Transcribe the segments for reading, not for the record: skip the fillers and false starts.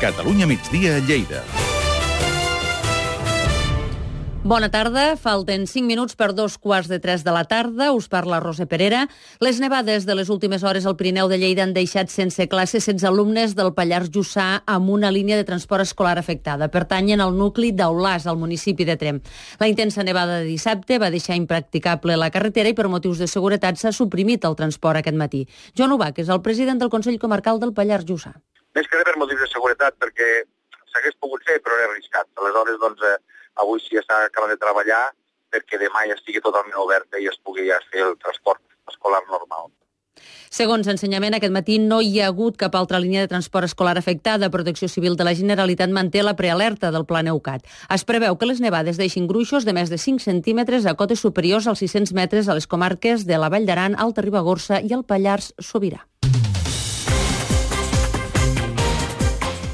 Catalunya migdia a Lleida. Bona tarda, falten 5 minuts per 2:15 de la tarda. Us parla Roser Perera. Les nevades de les últimes hores al Pirineu de Lleida han deixat sense classe 16 alumnes del Pallars Jussà amb una línia de transport escolar afectada. Pertanyen al nucli d'Aulàs, al municipi de Tremp. La intensa nevada de dissabte va deixar impracticable la carretera i per motius de seguretat s'ha suprimit el transport aquest matí. Joan Ubach és el president del Consell Comarcal del Pallars Jussà. Més que per motius de seguretat, perquè s'hagués pogut fer, però era arriscat. Aleshores, avui sí està acabant de treballar perquè demà ja estigui totalment oberta i es pugui ja fer el transport escolar normal. Segons Ensenyament, aquest matí no hi ha hagut cap altra línia de transport escolar afectada. Protecció Civil de la Generalitat manté la prealerta del Pla Neucat. Es preveu que les nevades deixin gruixos de més de 5 centímetres a cotes superiors als 600 metres a les comarques de la Vall d'Aran, Alta Ribagorça i el Pallars Sobirà.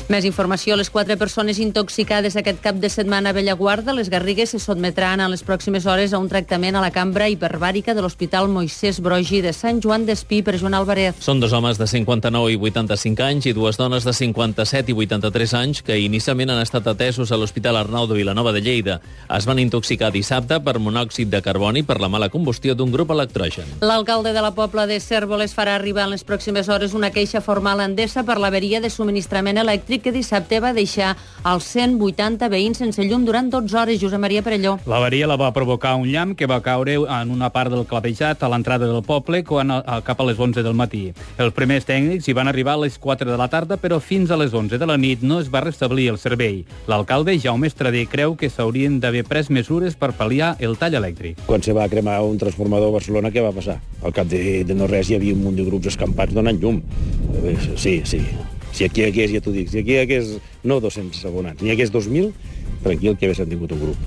Més informació. Les 4 persones intoxicades aquest cap de setmana a Bellaguarda, les Garrigues, se sotmetran en les pròximes hores a un tractament a la cambra hiperbàrica de l'Hospital Moisès Brogi de Sant Joan d'Espí per Joan Álvarez. Són 2 homes de 59 i 85 anys i 2 dones de 57 i 83 anys que inicialment han estat atesos a l'Hospital Arnau de Vilanova de Lleida. Es van intoxicar dissabte per monòxid de carboni per la mala combustió d'un grup electrogen. L'alcalde de la Pobla de Cérvoles farà arribar en les pròximes hores una queixa formal a Endesa per l'averia de subministrament elèctric que dissabte va deixar els 180 veïns sense llum durant 12 hores. Josep Maria Perelló. L'avaria la va provocar un llamp que va caure en una part del clavejat a l'entrada del poble cap a les 11 del matí. Els primers tècnics hi van arribar a les 4 de la tarda, però fins a les 11 de la nit no es va restablir el servei. L'alcalde, Jaume Estradé, creu que s'haurien d'haver pres mesures per pal·liar el tall elèctric. Quan se va cremar un transformador a Barcelona, què va passar? Al cap de no res hi havia un munt de grups escampats donant llum. Sí. Si aquí hagués, ja t'ho dic, si aquí hagués no 200 abonats, ni hagués 2.000, tranquil que haguessin tingut un grup.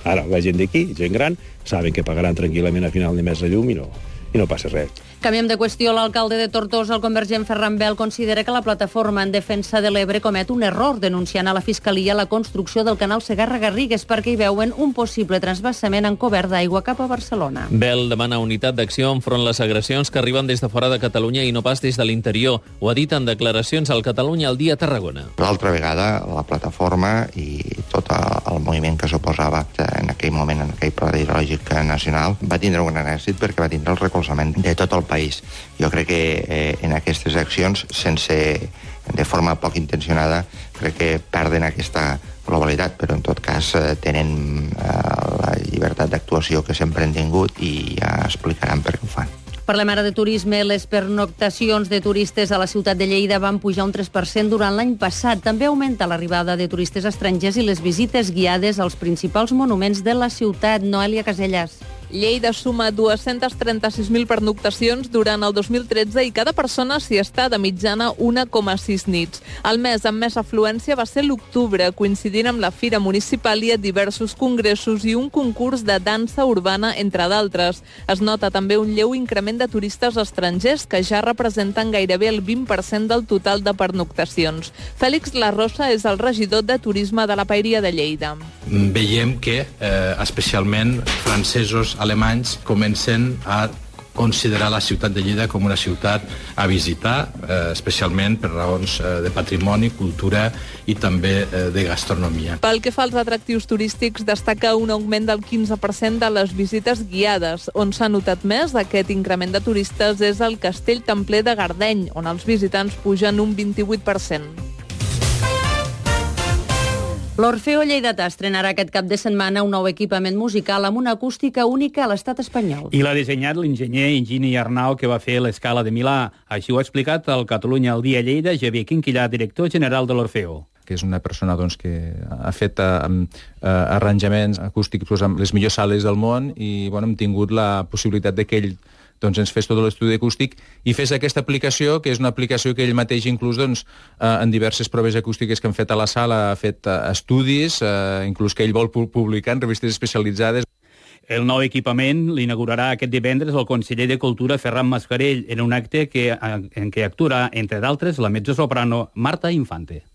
Ara, la gent d'aquí, gent gran, saben que pagaran tranquil·lament a final de mes la llum i no passa res. Canviem de qüestió. L'alcalde de Tortosa, el convergent Ferran Bel, considera que la plataforma en defensa de l'Ebre comet un error denunciant a la Fiscalia la construcció del canal Segarra-Garrigues perquè hi veuen un possible transvasament encobert d'aigua cap a Barcelona. Bel demana unitat d'acció enfront les agressions que arriben des de fora de Catalunya i no pas des de l'interior. Ho ha dit en declaracions al Catalunya al dia a Tarragona. L'altra vegada, la plataforma i tot el moviment que s'oposava en aquell moment, en aquell pla hidrològic nacional, va tindre un gran èxit perquè va tindre el recolzament de tot el país. Jo crec que en aquestes accions, de forma poc intencionada, crec que perden aquesta globalitat, però en tot cas tenen la llibertat d'actuació que sempre han tingut i ja explicaran per què ho fan. Parlem ara de turisme. Les pernoctacions de turistes a la ciutat de Lleida van pujar un 3% durant l'any passat. També augmenta l'arribada de turistes estrangers i les visites guiades als principals monuments de la ciutat. Noelia Casellas. Lleida suma 236.000 pernoctacions durant el 2013 i cada persona s'hi està de mitjana 1,6 nits. El mes amb més afluència va ser l'octubre, coincidint amb la Fira Municipal i diversos congressos i un concurs de dansa urbana, entre d'altres. Es nota també un lleu increment de turistes estrangers que ja representen gairebé el 20% del total de pernoctacions. Fèlix Larrosa és el regidor de Turisme de la Paeria de Lleida. Veiem que especialment francesos, alemanys comencen a considerar la ciutat de Lleida com una ciutat a visitar, especialment per raons de patrimoni, cultura i també de gastronomia. Pel que fa als atractius turístics, destaca un augment del 15% de les visites guiades. On s'ha notat més aquest increment de turistes és el Castell Templer de Gardeny, on els visitants pugen un 28%. L'Orfeo Lleidatà estrenarà aquest cap de setmana un nou equipament musical amb una acústica única a l'estat espanyol. I l'ha dissenyat l'enginyer Higini Arnau, que va fer l'Escala de Milà. Així ho ha explicat al Catalunya al dia a Lleida Javier Quinquillà, director general de l'Orfeo. Que és una persona que ha fet arranjaments acústics amb les millors sales del món i hem tingut la possibilitat que ell ens fes tot l'estudi acústic i fes aquesta aplicació, que és una aplicació que ell mateix inclús en diverses proves acústiques que han fet a la sala, ha fet estudis, inclús que ell vol publicar en revistes especialitzades. El nou equipament l'inaugurarà aquest divendres el conseller de Cultura Ferran Mascarell en un acte en què actuarà, entre d'altres, la mezzosoprano Marta Infante.